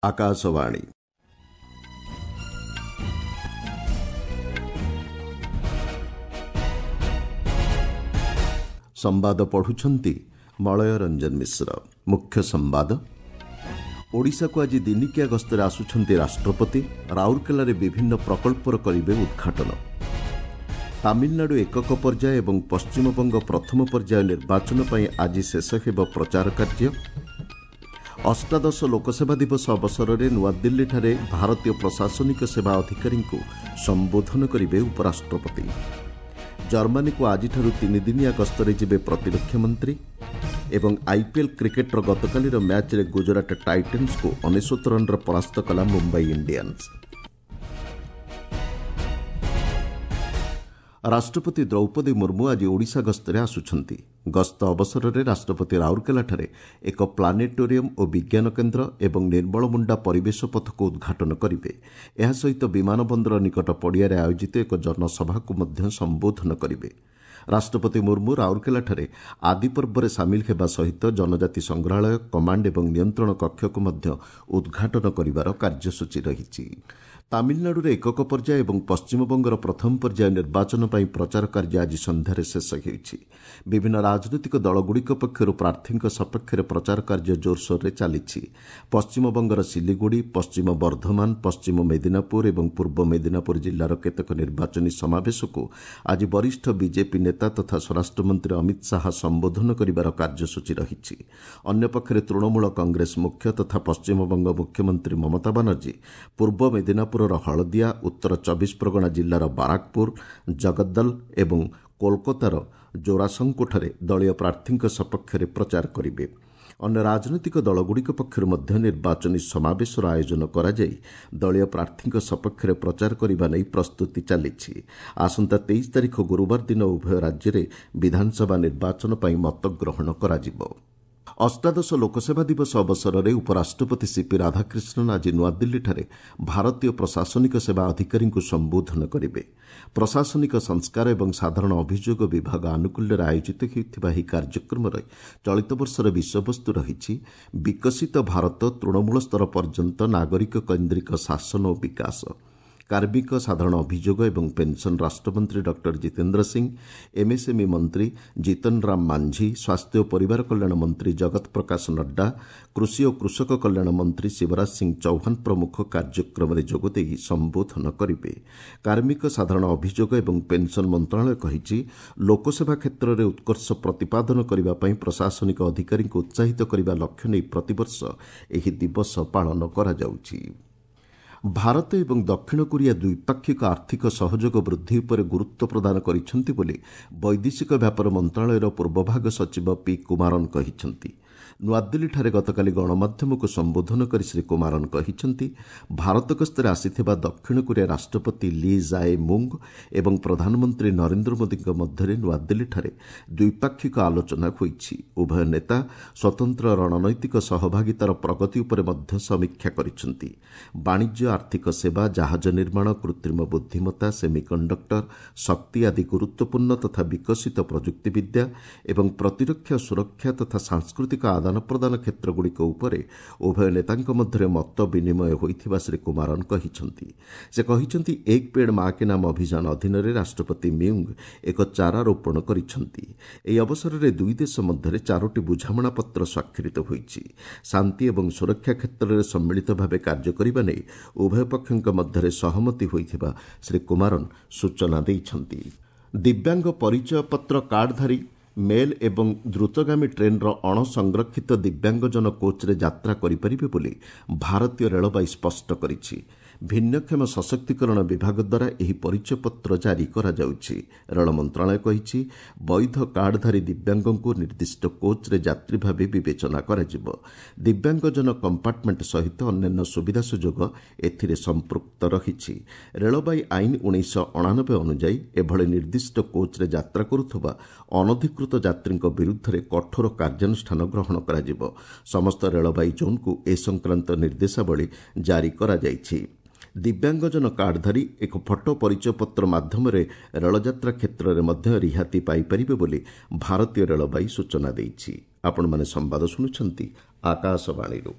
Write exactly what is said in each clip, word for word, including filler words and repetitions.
ଆକାଶବାଣୀ ସମ୍ବାଦ ପଢୁଛନ୍ତି ମଳୟ ରଞ୍ଜନ ମିଶ୍ର। ମୁଖ୍ୟ ସମ୍ବାଦ। ଓଡ଼ିଶାକୁ ଆଜି ଦିନିକିଆ ଗସ୍ତରେ ଆସୁଛନ୍ତି ରାଷ୍ଟ୍ରପତି। ରାଉରକେଲାରେ ବିଭିନ୍ନ ପ୍ରକଳ୍ପର କରିବେ ଉଦ୍ଘାଟନ। ତାମିଲନାଡୁ ଏକକ ପର୍ଯ୍ୟାୟ ଏବଂ ପଶ୍ଚିମବଙ୍ଗ ପ୍ରଥମ ପର୍ଯ୍ୟାୟ ନିର୍ବାଚନ ପାଇଁ ଆଜି ଶେଷ ହେବ ପ୍ରଚାର କାର୍ଯ୍ୟ। ଅଷ୍ଟାଦଶ ଲୋକସେବା ଦିବସ ଅବସରରେ ନୂଆଦିଲ୍ଲୀଠାରେ ଭାରତୀୟ ପ୍ରଶାସନିକ ସେବା ଅଧିକାରୀଙ୍କୁ ସମ୍ବୋଧନ କରିବେ ଉପରାଷ୍ଟ୍ରପତି। ଜର୍ମାନୀକୁ ଆଜିଠାରୁ ତିନିଦିନିଆ ଗସ୍ତରେ ଯିବେ ପ୍ରତିରକ୍ଷା ମନ୍ତ୍ରୀ। ଏବଂ ଆଇପିଏଲ୍ କ୍ରିକେଟ୍ର ଗତକାଲିର ମ୍ୟାଚ୍ରେ ଗୁଜରାଟ ଟାଇଟନ୍ସକୁ ଅନେଶ୍ୱତ ରନ୍ରେ ପରାସ୍ତ କଲା ମୁମ୍ବାଇ ଇଣ୍ଡିଆନ୍ସ। ରାଷ୍ଟ୍ରପତି ଦ୍ରୌପଦୀ ମୁର୍ମୁ ଆଜି ଓଡ଼ିଶା ଗସ୍ତରେ ଆସୁଛନ୍ତି। ଗସ୍ତ ଅବସରରେ ରାଷ୍ଟ୍ରପତି ରାଉରକେଲାଠାରେ ଏକ ପ୍ଲାନେଟୋରିୟମ୍ ଓ ବିଜ୍ଞାନ କେନ୍ଦ୍ର ଏବଂ ନିର୍ମଳମୁଣ୍ଡା ପରିବେଶ ପଥକୁ ଉଦ୍ଘାଟନ କରିବେ। ଏହା ସହିତ ବିମାନ ବନ୍ଦର ନିକଟ ପଡ଼ିଆରେ ଆୟୋଜିତ ଏକ ଜନସଭାକୁ ମଧ୍ୟ ସମ୍ବୋଧନ କରିବେ। ରାଷ୍ଟ୍ରପତି ମୁର୍ମୁ ରାଉରକେଲାଠାରେ ଆଦିପର୍ବରେ ସାମିଲ ହେବା ସହିତ ଜନଜାତି ସଂଗ୍ରହାଳୟ, କମାଣ୍ଡ ଏବଂ ନିୟନ୍ତ୍ରଣ କକ୍ଷକୁ ମଧ୍ୟ ଉଦ୍ଘାଟନ କରିବାର କାର୍ଯ୍ୟସୂଚୀ ରହିଛି। ତାମିଲନାଡୁରେ ଏକକ ପର୍ଯ୍ୟାୟ ଏବଂ ପଶ୍ଚିମବଙ୍ଗର ପ୍ରଥମ ପର୍ଯ୍ୟାୟ ନିର୍ବାଚନ ପାଇଁ ପ୍ରଚାର କାର୍ଯ୍ୟ ଆଜି ସନ୍ଧ୍ୟାରେ ଶେଷ ହେଉଛି। ବିଭିନ୍ନ ରାଜନୈତିକ ଦଳଗୁଡ଼ିକ ପକ୍ଷରୁ ପ୍ରାର୍ଥୀଙ୍କ ସପକ୍ଷରେ ପ୍ରଚାର କାର୍ଯ୍ୟ ଜୋରସୋରରେ ଚାଲିଛି। ପଶ୍ଚିମବଙ୍ଗର ସିଲିଗୁଡ଼ି, ପଶ୍ଚିମ ବର୍ଦ୍ଧମାନ, ପଶ୍ଚିମ ମେଦିନାପୁର ଏବଂ ପୂର୍ବ ମେଦିନାପୁର ଜିଲ୍ଲାର କେତେକ ନିର୍ବାଚନୀ ସମାବେଶକୁ ଆଜି ବରିଷ୍ଠ ବିଜେପି ନେତା ତଥା ସ୍ୱରାଷ୍ଟ୍ରମନ୍ତ୍ରୀ ଅମିତ ଶାହା ସମ୍ବୋଧନ କରିବାର କାର୍ଯ୍ୟସୂଚୀ ରହିଛି। ଅନ୍ୟପକ୍ଷରେ ତୃଣମୂଳ କଂଗ୍ରେସ ମୁଖ୍ୟ ତଥା ପଶ୍ଚିମବଙ୍ଗ ମୁଖ୍ୟମନ୍ତ୍ରୀ ମମତା ବାନାର୍ଜୀ ପୂର୍ବ ମେଦିନାପୁର ହଳଦିଆ, ଉତ୍ତର ଚବିଶ ପ୍ରଗଣା ଜିଲ୍ଲାର ବାରାକପୁର, ଜଗଦ୍ଦଲ ଏବଂ କୋଲକାତାର ଜୋରାସଙ୍କୋଠାରେ ଦଳୀୟ ପ୍ରାର୍ଥୀଙ୍କ ସପକ୍ଷରେ ପ୍ରଚାର କରିବେ। ଅନ୍ୟ ରାଜନୈତିକ ଦଳଗୁଡ଼ିକ ପକ୍ଷରୁ ମଧ୍ୟ ନିର୍ବାଚନୀ ସମାବେଶର ଆୟୋଜନ କରାଯାଇ ଦଳୀୟ ପ୍ରାର୍ଥୀଙ୍କ ସପକ୍ଷରେ ପ୍ରଚାର କରିବା ନେଇ ପ୍ରସ୍ତୁତି ଚାଲିଛି। ଆସନ୍ତା ତେଇଶ ତାରିଖ ଗୁରୁବାର ଦିନ ଉଭୟ ରାଜ୍ୟରେ ବିଧାନସଭା ନିର୍ବାଚନ ପାଇଁ ମତଗ୍ରହଣ କରାଯିବ। ଅଷ୍ଟାଦଶ ଲୋକସେବା ଦିବସ ଅବସରରେ ଉପରାଷ୍ଟ୍ରପତି ସିପି ରାଧାକ୍ରିଷ୍ଣନ୍ ଆଜି ନୂଆଦିଲ୍ଲୀଠାରେ ଭାରତୀୟ ପ୍ରଶାସନିକ ସେବା ଅଧିକାରୀଙ୍କୁ ସମ୍ବୋଧନ କରିବେ। ପ୍ରଶାସନିକ ସଂସ୍କାର ଏବଂ ସାଧାରଣ ଅଭିଯୋଗ ବିଭାଗ ଆନୁକୂଲ୍ୟରେ ଆୟୋଜିତ ହେଉଥିବା ଏହି କାର୍ଯ୍ୟକ୍ରମରେ ଚଳିତ ବର୍ଷର ବିଷୟବସ୍ତୁ ରହିଛି ବିକଶିତ ଭାରତ ତୃଣମୂଳ ସ୍ତର ପର୍ଯ୍ୟନ୍ତ ନାଗରିକ କୈନ୍ଦ୍ରିକ ଶାସନ ଓ ବିକାଶ। କାର୍ମିକ, ସାଧାରଣ ଅଭିଯୋଗ ଏବଂ ପେନ୍ସନ୍ ରାଷ୍ଟ୍ରମନ୍ତ୍ରୀ ଡକ୍ଟର ଜିତେନ୍ଦ୍ର ସିଂ, ଏମ୍ଏସ୍ଏମ୍ଇ ମନ୍ତ୍ରୀ ଜିତନ ରାମ ମାଂଝୀ, ସ୍ୱାସ୍ଥ୍ୟ ଓ ପରିବାର କଲ୍ୟାଣ ମନ୍ତ୍ରୀ ଜଗତ ପ୍ରକାଶ ନଡ୍ଡା, କୃଷି ଓ କୃଷକ କଲ୍ୟାଣ ମନ୍ତ୍ରୀ ଶିବରାଜ ସିଂ ଚୌହାନ ପ୍ରମୁଖ କାର୍ଯ୍ୟକ୍ରମରେ ଯୋଗଦେଇ ସମ୍ବୋଧନ କରିବେ। କାର୍ମିକ, ସାଧାରଣ ଅଭିଯୋଗ ଏବଂ ପେନ୍ସନ୍ ମନ୍ତ୍ରଣାଳୟ କହିଛି, ଲୋକସେବା କ୍ଷେତ୍ରରେ ଉତ୍କର୍ଷ ପ୍ରତିପାଦନ କରିବା ପାଇଁ ପ୍ରଶାସନିକ ଅଧିକାରୀଙ୍କୁ ଉତ୍ସାହିତ କରିବା ଲକ୍ଷ୍ୟ ନେଇ ପ୍ରତିବର୍ଷ ଏହି ଦିବସ ପାଳନ କରାଯାଉଛି। ଭାରତ ଏବଂ ଦକ୍ଷିଣ କୋରିଆ ଦ୍ୱିପାକ୍ଷିକ ଆର୍ଥିକ ସହଯୋଗ ବୃଦ୍ଧି ଉପରେ ଗୁରୁତ୍ୱ ପ୍ରଦାନ କରିଛନ୍ତି ବୋଲି ବୈଦେଶିକ ବ୍ୟାପାର ମନ୍ତ୍ରଣାଳୟର ପୂର୍ବଭାଗ ସଚିବ ପି କୁମାରନ୍ କହିଛନ୍ତି। ନୂଆଦିଲ୍ଲୀଠାରେ ଗତକାଲି ଗଣମାଧ୍ୟମକୁ ସମ୍ବୋଧନ କରି ଶ୍ରୀ କୁମାରନ୍ କହିଛନ୍ତି, ଭାରତ ଗସ୍ତରେ ଆସିଥିବା ଦକ୍ଷିଣ କୋରିଆ ରାଷ୍ଟ୍ରପତି ଲି ଜାଏ ମୁଙ୍ଗ ଏବଂ ପ୍ରଧାନମନ୍ତ୍ରୀ ନରେନ୍ଦ୍ର ମୋଦିଙ୍କ ମଧ୍ୟରେ ନୂଆଦିଲ୍ଲୀଠାରେ ଦ୍ୱିପାକ୍ଷିକ ଆଲୋଚନା ହୋଇଛି। ଉଭୟ ନେତା ସ୍ୱତନ୍ତ୍ର ରଣନୈତିକ ସହଭାଗିତାର ପ୍ରଗତି ଉପରେ ମଧ୍ୟ ସମୀକ୍ଷା କରିଛନ୍ତି। ବାଣିଜ୍ୟ, ଆର୍ଥିକ ସେବା, ଜାହାଜ ନିର୍ମାଣ, କୃତ୍ରିମ ବୁଦ୍ଧିମତ୍ତା, ସେମିକଣ୍ଡକ୍ଟର, ଶକ୍ତି ଆଦି ଗୁରୁତ୍ୱପୂର୍ଣ୍ଣ ତଥା ବିକଶିତ ପ୍ରଯୁକ୍ତିବିଦ୍ୟା ଏବଂ ପ୍ରତିରକ୍ଷା, ସୁରକ୍ଷା ତଥା ସାଂସ୍କୃତିକ ଆଦାନ ପ୍ରଦାନ କ୍ଷେତ୍ରଗୁଡ଼ିକ ଉପରେ ଉଭୟ ନେତାଙ୍କ ମଧ୍ୟରେ ମତ ବିନିମୟ ହୋଇଥିବା ଶ୍ରୀ କୁମାରନ୍ କହିଛନ୍ତି। ସେ କହିଛନ୍ତି, ଏକ ପେଡ଼ ମା କେ ନାମ ଅଭିଯାନ ଅଧୀନରେ ରାଷ୍ଟ୍ରପତି ମ୍ୟୁଙ୍ଗ ଏକ ଚାରା ରୋପଣ କରିଛନ୍ତି। ଏହି ଅବସରରେ ଦୁଇ ଦେଶ ମଧ୍ୟରେ ଚାରୋଟି ବୁଝାମଣାପତ୍ର ସ୍ୱାକ୍ଷରିତ ହୋଇଛି। ଶାନ୍ତି ଏବଂ ସୁରକ୍ଷା କ୍ଷେତ୍ରରେ ସମ୍ମିଳିତ ଭାବେ କାର୍ଯ୍ୟ କରିବା ନେଇ ଉଭୟ ପକ୍ଷଙ୍କ ମଧ୍ୟରେ ସହମତି ହୋଇଥିବା ଶ୍ରୀ କୁମାରନ୍ ସୂଚନା ଦେଇଛନ୍ତି। ଦିବ୍ୟାଙ୍ଗ ପରିଚୟପତ୍ର କାର୍ଡଧାରୀ ମେଲ୍ ଏବଂ ଦ୍ରୁତଗାମୀ ଟ୍ରେନ୍ର ଅଣସଂରକ୍ଷିତ ଦିବ୍ୟାଙ୍ଗଜନ କୋଚ୍ରେ ଯାତ୍ରା କରିପାରିବେ ବୋଲି ଭାରତୀୟ ରେଳବାଇ ସ୍ପଷ୍ଟ କରିଛି। ଭିନ୍ନକ୍ଷମ ସଶକ୍ତିକରଣ ବିଭାଗ ଦ୍ୱାରା ଏହି ପରିଚୟପତ୍ର ଜାରି କରାଯାଉଛି। ରେଳ ମନ୍ତ୍ରଣାଳୟ କହିଛି, ବୈଧ କାର୍ଡଧାରୀ ଦିବ୍ୟାଙ୍ଗଙ୍କୁ ନିର୍ଦ୍ଦିଷ୍ଟ କୋଚ୍ରେ ଯାତ୍ରୀ ଭାବେ ବିବେଚନା କରାଯିବ। ଦିବ୍ୟାଙ୍ଗଜନ କମ୍ପାର୍ଟମେଣ୍ଟ ସହିତ ଅନ୍ୟାନ୍ୟ ସୁବିଧା ସୁଯୋଗ ଏଥିରେ ସମ୍ପୃକ୍ତ ରହିଛି। ରେଳବାଇ ଆଇନ ଉଣେଇଶହ ଅଣାନବେ ଅନୁଯାୟୀ ଏଭଳି ନିର୍ଦ୍ଦିଷ୍ଟ କୋଚ୍ରେ ଯାତ୍ରା କରୁଥିବା ଅନଧିକୃତ ଯାତ୍ରୀଙ୍କ ବିରୁଦ୍ଧରେ କଠୋର କାର୍ଯ୍ୟାନୁଷ୍ଠାନ ଗ୍ରହଣ କରାଯିବ। ସମସ୍ତ ରେଳବାଇ ଜୋନ୍କୁ ଏ ସଂକ୍ରାନ୍ତ ନିର୍ଦ୍ଦେଶାବଳୀ ଜାରି କରାଯାଇଛି। ଦିବ୍ୟାଙ୍ଗଜନ କାର୍ଡଧାରୀ ଏକ ଫଟୋ ପରିଚୟପତ୍ର ମାଧ୍ୟମରେ ରେଳଯାତ୍ରା କ୍ଷେତ୍ରରେ ମଧ୍ୟ ରିହାତି ପାଇପାରିବେ ବୋଲି ଭାରତୀୟ ରେଳବାଇ ସୂଚନା ଦେଇଛି। ଆପଣମାନେ ସମ୍ବାଦ ଶୁଣୁଛନ୍ତି ଆକାଶବାଣୀରୁ।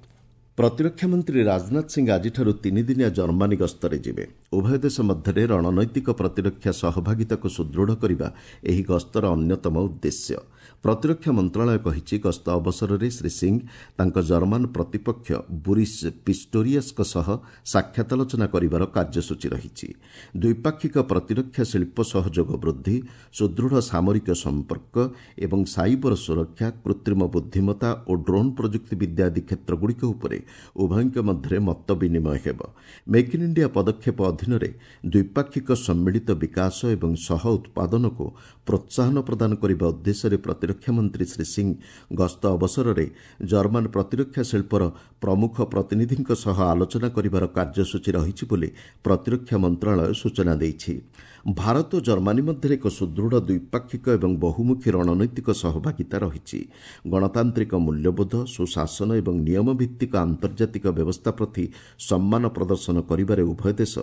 ପ୍ରତିରକ୍ଷା ମନ୍ତ୍ରୀ ରାଜନାଥ ସିଂ ଆଜିଠାରୁ ତିନିଦିନିଆ ଜର୍ମାନୀ ଗସ୍ତରେ ଯିବେ। ଉଭୟ ଦେଶ ମଧ୍ୟରେ ରଣନୈତିକ ପ୍ରତିରକ୍ଷା ସହଭାଗିତାକୁ ସୁଦୃଢ଼ କରିବା ଏହି ଗସ୍ତର ଅନ୍ୟତମ ଉଦ୍ଦେଶ୍ୟ। ପ୍ରତିରକ୍ଷା ମନ୍ତ୍ରଣାଳୟ କହିଛି, ଗସ୍ତ ଅବସରରେ ଶ୍ରୀ ସିଂ ତାଙ୍କ ଜର୍ମାନ ପ୍ରତିପକ୍ଷ ବୁରିସ୍ ପିଷ୍ଟୋରିୟସ୍ଙ୍କ ସହ ସାକ୍ଷାତ ଆଲୋଚନା କରିବାର କାର୍ଯ୍ୟସୂଚୀ ରହିଛି। ଦ୍ୱିପାକ୍ଷିକ ପ୍ରତିରକ୍ଷା ଶିଳ୍ପ ସହଯୋଗ ବୃଦ୍ଧି, ସୁଦୃଢ଼ ସାମରିକ ସମ୍ପର୍କ ଏବଂ ସାଇବର ସୁରକ୍ଷା, କୃତ୍ରିମ ବୁଦ୍ଧିମତ୍ତା ଓ ଡ୍ରୋନ୍ ପ୍ରଯୁକ୍ତିବିଦ୍ୟା ଆଦି କ୍ଷେତ୍ରଗୁଡ଼ିକ ଉପରେ ଉଭୟଙ୍କ ମଧ୍ୟରେ ମତ ବିନିମୟ ହେବ। ମେକ୍ ଇନ୍ ଇଣ୍ଡିଆ ପଦକ୍ଷେପ ଅଧୀନରେ ଦ୍ୱିପାକ୍ଷିକ ସମ୍ମିଳିତ ବିକାଶ ଏବଂ ସହ ଉତ୍ପାଦନକୁ ପ୍ରୋତ୍ସାହନ ପ୍ରଦାନ କରିବା ଉଦ୍ଦେଶ୍ୟରେ ପ୍ରତିରକ୍ଷା ମନ୍ତ୍ରୀ ଶ୍ରୀ ସିଂ ଗସ୍ତ ଅବସରରେ ଜର୍ମାନ ପ୍ରତିରକ୍ଷା ଶିଳ୍ପର ପ୍ରମୁଖ ପ୍ରତିନିଧିଙ୍କ ସହ ଆଲୋଚନା କରିବାର କାର୍ଯ୍ୟସୂଚୀ ରହିଛି ବୋଲି ପ୍ରତିରକ୍ଷା ମନ୍ତ୍ରଣାଳୟ ସୂଚନା ଦେଇଛି। ଭାରତ ଓ ଜର୍ମାନୀ ମଧ୍ୟରେ ଏକ ସୁଦୃଢ଼ ଦ୍ୱିପାକ୍ଷିକ ଏବଂ ବହୁମୁଖୀ ରଣନୈତିକ ସହଭାଗିତା ରହିଛି। ଗଣତାନ୍ତ୍ରିକ ମୂଲ୍ୟବୋଧ, ସୁଶାସନ ଏବଂ ନିୟମଭିତ୍ତିକ ଆନ୍ତର୍ଜାତିକ ବ୍ୟବସ୍ଥା ପ୍ରତି ସମ୍ମାନ ପ୍ରଦର୍ଶନ କରିବାରେ ଉଭୟ ଦେଶ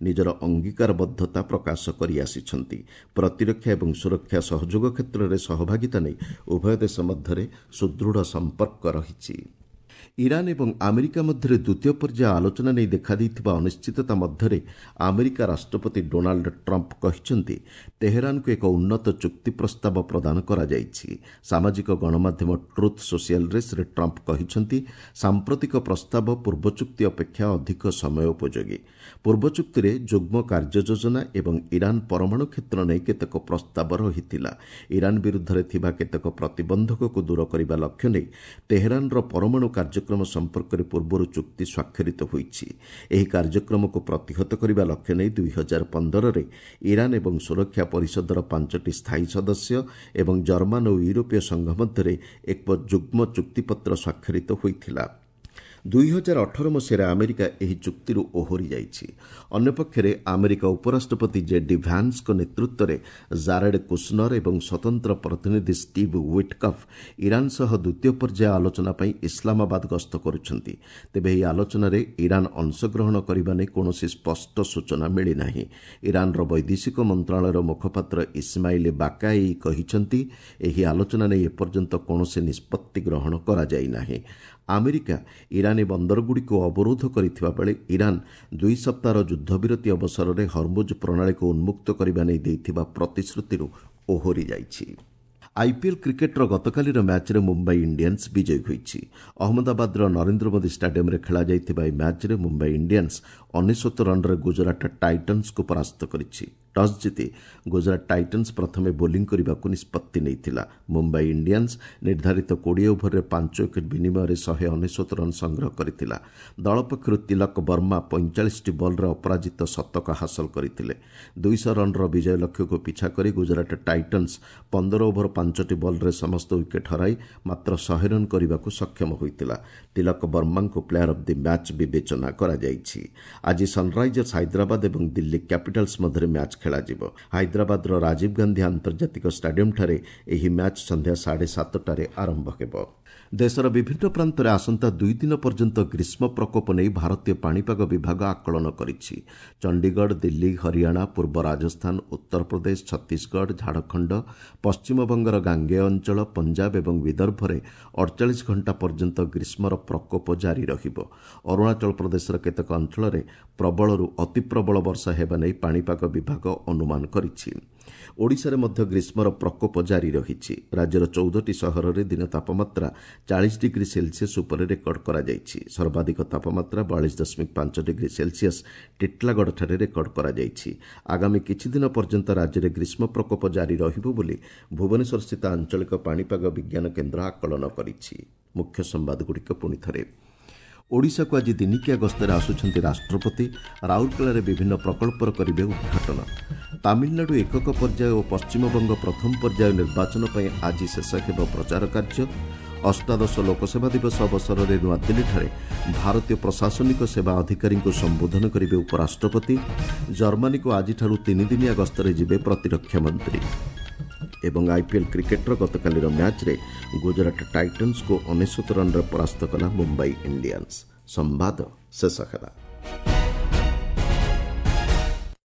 ନିଜର ଅଙ୍ଗୀକାରବଦ୍ଧତା ପ୍ରକାଶ କରିଆସିଛନ୍ତି। ପ୍ରତିରକ୍ଷା ଏବଂ ସୁରକ୍ଷା ସହଯୋଗ କ୍ଷେତ୍ରରେ ସହଭାଗିତା ନେଇ ଉଭୟ ଦେଶ ମଧ୍ୟରେ ସୁଦୃଢ଼ ସମ୍ପର୍କ ରହିଛି। ଇରାନ୍ ଏବଂ ଆମେରିକା ମଧ୍ୟରେ ଦ୍ୱିତୀୟ ପର୍ଯ୍ୟାୟ ଆଲୋଚନା ନେଇ ଦେଖାଦେଇଥିବା ଅନିଶ୍ଚିତତା ମଧ୍ୟରେ ଆମେରିକା ରାଷ୍ଟ୍ରପତି ଡୋନାଲ୍ଡ ଟ୍ରମ୍ପ କହିଛନ୍ତି, ତେହେରାନକୁ ଏକ ଉନ୍ନତ ଚୁକ୍ତି ପ୍ରସ୍ତାବ ପ୍ରଦାନ କରାଯାଇଛି। ସାମାଜିକ ଗଣମାଧ୍ୟମ ଟ୍ରୁଥ୍ ସୋସିଆଲରେ ଶ୍ରୀ ଟ୍ରମ୍ପ କହିଛନ୍ତି, ସାମ୍ପ୍ରତିକ ପ୍ରସ୍ତାବ ପୂର୍ବ ଚୁକ୍ତି ଅପେକ୍ଷା ଅଧିକ ସମୟ ଉପଯୋଗୀ। ପୂର୍ବ ଚୁକ୍ତିରେ ଯୁଗ୍ମ କାର୍ଯ୍ୟ ଯୋଜନା ଏବଂ ଇରାନ୍ ପରମାଣୁ କ୍ଷେତ୍ର ନେଇ କେତେକ ପ୍ରସ୍ତାବ ରହିଥିଲା। ଇରାନ୍ ବିରୁଦ୍ଧରେ ଥିବା କେତେକ ପ୍ରତିବନ୍ଧକକୁ ଦୂର କରିବା ଲକ୍ଷ୍ୟ ନେଇ ତେହେରାନର ପରମାଣୁ କାର୍ଯ୍ୟକ୍ରମ ସମ୍ପର୍କରେ ପୂର୍ବରୁ ଚୁକ୍ତି ସ୍ୱାକ୍ଷରିତ ହୋଇଛି। ଏହି କାର୍ଯ୍ୟକ୍ରମକୁ ପ୍ରତିହତ କରିବା ଲକ୍ଷ୍ୟ ନେଇ ଦୁଇ ହଜାର ପନ୍ଦରରେ ଇରାନ୍ ଏବଂ ସୁରକ୍ଷା ପରିଷଦର ପାଞ୍ଚଟି ସ୍ଥାୟୀ ସଦସ୍ୟ ଏବଂ ଜର୍ମାନ ଓ ୟୁରୋପୀୟ ସଂଘ ମଧ୍ୟରେ ଏକ ଯୁଗ୍ମ ଚୁକ୍ତିପତ୍ର ସ୍ୱାକ୍ଷରିତ ହୋଇଥିଲା। ଦୁଇ ହଜାର ଅଠର ମସିହାରେ ଆମେରିକା ଏହି ଚୁକ୍ତିରୁ ଓହରି ଯାଇଛି। ଅନ୍ୟପକ୍ଷରେ ଆମେରିକା ଉପରାଷ୍ଟ୍ରପତି ଜେ ଡି ଭ୍ୟାନ୍ସଙ୍କ ନେତୃତ୍ୱରେ ଜାରେଡ୍ କୁଶନର ଏବଂ ସ୍ୱତନ୍ତ୍ର ପ୍ରତିନିଧି ଷ୍ଟିଭ୍ ୱିଟକଫ୍ ଇରାନ୍ ସହ ଦ୍ୱିତୀୟ ପର୍ଯ୍ୟାୟ ଆଲୋଚନା ପାଇଁ ଇସଲାମାବାଦ ଗସ୍ତ କରୁଛନ୍ତି। ତେବେ ଏହି ଆଲୋଚନାରେ ଇରାନ୍ ଅଂଶଗ୍ରହଣ କରିବା ନେଇ କୌଣସି ସ୍ପଷ୍ଟ ସୂଚନା ମିଳିନାହିଁ। ଇରାନ୍ର ବୈଦେଶିକ ମନ୍ତ୍ରଣାଳୟର ମୁଖପାତ୍ର ଇସମାଇଲ ବାକାଇ କହିଛନ୍ତି, ଏହି ଆଲୋଚନା ନେଇ ଏପର୍ଯ୍ୟନ୍ତ କୌଣସି ନିଷ୍ପତ୍ତି ଗ୍ରହଣ କରାଯାଇ ନାହିଁ। ଆମେରିକା ଇରାନୀ ବନ୍ଦରଗୁଡ଼ିକୁ ଅବରୋଧ କରିଥିବା ବେଳେ ଇରାନ୍ ଦୁଇ ସପ୍ତାହର ଯୁଦ୍ଧବିରତି ଅବସରରେ ହରମୁଜ ପ୍ରଣାଳୀକୁ ଉନ୍ମୁକ୍ତ କରିବା ନେଇ ଦେଇଥିବା ପ୍ରତିଶ୍ରୁତିରୁ ଓହରି ଯାଇଛି। ଆଇପିଏଲ୍ କ୍ରିକେଟ୍ର ଗତକାଲିର ମ୍ୟାଚ୍ରେ ମୁମ୍ବାଇ ଇଣ୍ଡିଆନ୍ସ ବିଜୟୀ ହୋଇଛି। ଅହମ୍ମଦାବାଦର ନରେନ୍ଦ୍ର ମୋଦି ଷ୍ଟାଡିୟମ୍ରେ ଖେଳାଯାଇଥିବା ଏହି ମ୍ୟାଚ୍ରେ ମୁମ୍ବାଇ ଇଣ୍ଡିଆନ୍ସ ଅନେଶ୍ୱତ ରନ୍ରେ ଗୁଜରାଟ ଟାଇଟନ୍ସକୁ ପରାସ୍ତ କରିଛି। ଟସ୍ ଜିତି ଗୁଜରାଟ ଟାଇଟନ୍ସ ପ୍ରଥମେ ବୋଲିଂ କରିବାକୁ ନିଷ୍ପତ୍ତି ନେଇଥିଲା। ମୁମ୍ବାଇ ଇଣ୍ଡିଆନ୍ସ ନିର୍ଦ୍ଧାରିତ କୋଡ଼ିଏ ଓଭରରେ ପାଞ୍ଚ ୱିକେଟ୍ ବିନିମୟରେ ଶହେ ଅନେଶ୍ୱତ ରନ୍ ସଂଗ୍ରହ କରିଥିଲା। ଦଳ ପକ୍ଷରୁ ତିଲକ ବର୍ମା ପଇଁଚାଳିଶଟି ବଲ୍ରେ ଅପରାଜିତ ଶତକ ହାସଲ କରିଥିଲେ। ଦୁଇଶହ ରନ୍ର ବିଜୟ ଲକ୍ଷ୍ୟକୁ ପିଛା କରି ଗୁଜରାଟ ଟାଇଟନ୍ସ ପନ୍ଦର ଓଭର ପାଞ୍ଚଟି ବଲ୍ରେ ସମସ୍ତ ୱିକେଟ୍ ହରାଇ ମାତ୍ର ଶହେ ରନ୍ କରିବାକୁ ସକ୍ଷମ ହୋଇଥିଲା। ତିଲକ ବର୍ମାଙ୍କୁ ପ୍ଲେୟାର ଅଫ୍ the match ବିବେଚନା କରାଯାଇଛି। ଆଜି ସନ୍ରାଇଜର୍ସ ହାଇଦ୍ରାବାଦ ଏବଂ ଦିଲ୍ଲୀ କ୍ୟାପିଟାଲ୍ସ ମଧ୍ୟରେ ମ୍ୟାଚ୍ ଖେଳାଯିବ। ହାଇଦ୍ରାବାଦର ରାଜୀବ ଗାନ୍ଧୀ ଆନ୍ତର୍ଜାତିକ ଷ୍ଟାଡିୟମ୍ଠାରେ ଏହି ମ୍ୟାଚ୍ ସନ୍ଧ୍ୟା ସାଢ଼େ ସାତଟାରେ ଆରମ୍ଭ ହେବ। ଦେଶର ବିଭିନ୍ନ ପ୍ରାନ୍ତରେ ଆସନ୍ତା ଦୁଇ ଦିନ ପର୍ଯ୍ୟନ୍ତ ଗ୍ରୀଷ୍ମ ପ୍ରକୋପ ନେଇ ଭାରତୀୟ ପାଣିପାଗ ବିଭାଗ ଆକଳନ କରିଛି। ଚଣ୍ଡିଗଡ଼, ଦିଲ୍ଲୀ, ହରିୟାଣା, ପୂର୍ବ ରାଜସ୍ଥାନ, ଉତ୍ତରପ୍ରଦେଶ, ଛତିଶଗଡ଼, ଝାଡ଼ଖଣ୍ଡ, ପଶ୍ଚିମବଙ୍ଗର ଗାଙ୍ଗେୟ ଅଞ୍ଚଳ, ପଞ୍ଜାବ ଏବଂ ବିଦର୍ଭରେ ଅଡ଼ଚାଳିଶ ଘଣ୍ଟା ପର୍ଯ୍ୟନ୍ତ ଗ୍ରୀଷ୍ମର ପ୍ରକୋପ ଜାରି ରହିବ। ଅରୁଣାଚଳ ପ୍ରଦେଶର କେତେକ ଅଞ୍ଚଳରେ ପ୍ରବଳରୁ ଅତିପ୍ରବଳ ବର୍ଷା ହେବା ନେଇ ପାଣିପାଗ ବିଭାଗ ଅନୁମାନ କରିଛି। ଓଡ଼ିଶାରେ ମଧ୍ୟ ଗ୍ରୀଷ୍ମର ପ୍ରକୋପ ଜାରି ରହିଛି। ରାଜ୍ୟର ଚଉଦଟି ସହରରେ ଦିନ ତାପମାତ୍ରା ଚାଳିଶ ଡିଗ୍ରୀ ସେଲସିୟସ୍ ଉପରେ ରେକର୍ଡ କରାଯାଇଛି। ସର୍ବାଧିକ ତାପମାତ୍ରା ବୟାଳିଶ ଦଶମିକ ପାଞ୍ଚ ଡିଗ୍ରୀ ସେଲସିୟସ୍ ଟିଟଲାଗଡ଼ଠାରେ ରେକର୍ଡ କରାଯାଇଛି। ଆଗାମୀ କିଛିଦିନ ପର୍ଯ୍ୟନ୍ତ ରାଜ୍ୟରେ ଗ୍ରୀଷ୍ମ ପ୍ରକୋପ ଜାରି ରହିବ ବୋଲି ଭୁବନେଶ୍ୱରସ୍ଥିତ ଆଞ୍ଚଳିକ ପାଣିପାଗ ବିଜ୍ଞାନ କେନ୍ଦ୍ର ଆକଳନ କରିଛି। ମୁଖ୍ୟ ସମ୍ବାଦଗୁଡ଼ିକ ପୁଣି ଥରେ। ଓଡ଼ିଶାକୁ ଆଜି ଦିନିକିଆ ଗସ୍ତରେ ଆସୁଛନ୍ତି ରାଷ୍ଟ୍ରପତି। ରାଉରକେଲାରେ ବିଭିନ୍ନ ପ୍ରକଳ୍ପର କରିବେ ଉଦ୍ଘାଟନ। ତାମିଲନାଡୁ ଏକକ ପର୍ଯ୍ୟାୟ ଓ ପଶ୍ଚିମବଙ୍ଗ ପ୍ରଥମ ପର୍ଯ୍ୟାୟ ନିର୍ବାଚନ ପାଇଁ ଆଜି ଶେଷ ହେବ ପ୍ରଚାର କାର୍ଯ୍ୟ। ଅଷ୍ଟାଦଶ ଲୋକସେବା ଦିବସ ଅବସରରେ ନୂଆଦିଲ୍ଲୀଠାରେ ଭାରତୀୟ ପ୍ରଶାସନିକ ସେବା ଅଧିକାରୀଙ୍କୁ ସମ୍ବୋଧନ କରିବେ ଉପରାଷ୍ଟ୍ରପତି। ଜର୍ମାନୀକୁ ଆଜିଠାରୁ ତିନିଦିନିଆ ଗସ୍ତରେ ଯିବେ ପ୍ରତିରକ୍ଷା ମନ୍ତ୍ରୀ। ଏବଂ ଆଇପିଏଲ୍ କ୍ରିକେଟ୍ର ଗତକାଲିର ମ୍ୟାଚ୍ରେ ଗୁଜରାଟ ଟାଇଟନ୍ସକୁ ଅନେଶ୍ୱତ ରନ୍ରେ ପରାସ୍ତ କଲା ମୁମ୍ବାଇ ଇଣ୍ଡିଆନ୍ସ। ସମ୍ବାଦ ଶେଷ ହେଲା।